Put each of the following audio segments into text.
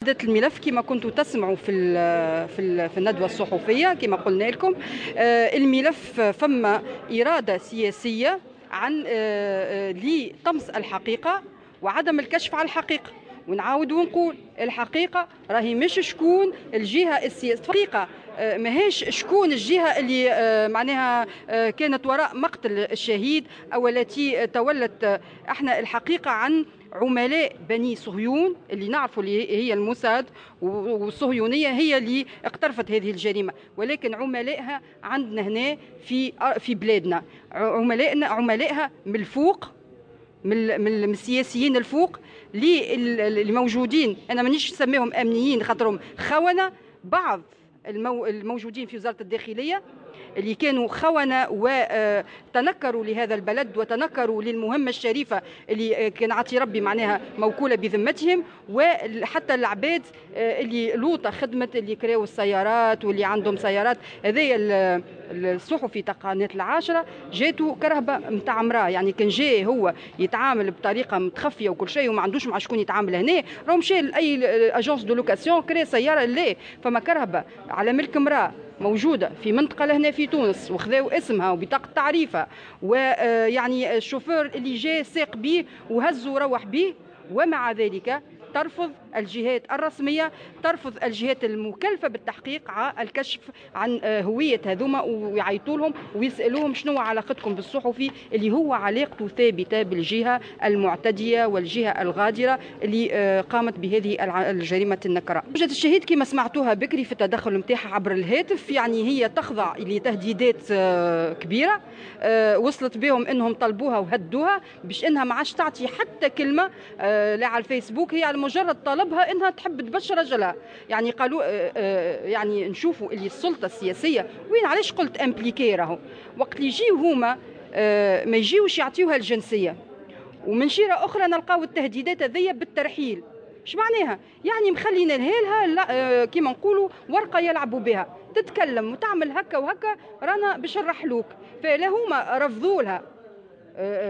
الملف كما كنتوا تسمعوا في الندوة الصحفية كما قلنا لكم، الملف فما اراده سياسية عن لطمس الحقيقة وعدم الكشف على الحقيقة. ونعاود ونقول الحقيقة راهي مش شكون الجهة السياسية، الحقيقة ماهيش شكون الجهة اللي معناها كانت وراء مقتل الشهيد او التي تولت. احنا الحقيقة عن عملاء بني صهيون اللي نعرفوا اللي هي الموساد والصهيونيه هي اللي اقترفت هذه الجريمة، ولكن عملائها عندنا هنا في بلادنا، عملائنا عملائها من الفوق، من السياسيين الفوق اللي موجودين. انا مانيش نسميهم امنيين خاطرهم خونه. بعض الموجودين في وزارة الداخلية اللي كانوا خونه وتنكروا لهذا البلد وتنكروا للمهمه الشريفة اللي كان عطي ربي معناها موكوله بذمتهم، وحتى العباد اللي لوطه خدمة اللي كراو السيارات واللي عندهم سيارات. هذايا الصحفي تاع قناة العاشرة جاتو كرهبه نتاع امراة، يعني كان جاي هو يتعامل بطريقة متخفيه وكل شيء وما عندوش مع شكون يتعامل هنا، راهو مشى لاي agence de location كرا سيارة. لا، فما كرهبه على ملك امراة موجودة في منطقة لهنا في تونس وخذاو اسمها وبطاقه تعريفها، ويعني الشوفير اللي جاء ساق به وهزه وروح به. ومع ذلك ترفض الجهات الرسمية، ترفض الجهات المكلفة بالتحقيق على الكشف عن هوية هذوما ويعيطوا لهم ويسألوهم شنو علاقتكم بالصحفي اللي هو علاقته ثابتة بالجهة المعتدية والجهة الغادرة اللي قامت بهذه الجريمة النكراء. زوجة الشهيد كما سمعتوها بكري في التدخل نتاعها عبر الهاتف، يعني هي تخضع لتهديدات كبيرة وصلت بهم انهم طلبوها وهدوها باش انها ما عادش تعطي حتى كلمة لا على الفيسبوك، هي على مجرد طلبها انها تحب تبشر رجلها. يعني قالوا يعني نشوفوا اللي السلطة السياسية وين، علاش قلت impliquée، راهو وقت اللي يجيو هما ما يجيوش يعطيوها الجنسية، ومن شيره اخرى نلقاو التهديدات هذيا بالترحيل. اش معناها؟ يعني مخلينا لها كيما نقولوا ورقة يلعبوا بها، تتكلم وتعمل هكا وهكا رانا باش نرحلوك. فلا هما رفضوا لها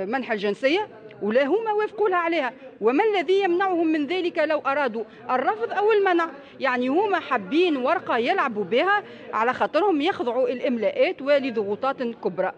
منح الجنسية ولا هما وافقوا لها عليها. وما الذي يمنعهم من ذلك لو أرادوا الرفض أو المنع؟ يعني هما حابين ورقة يلعبوا بها على خاطرهم يخضعوا الإملاءات ولضغوطات كبرى.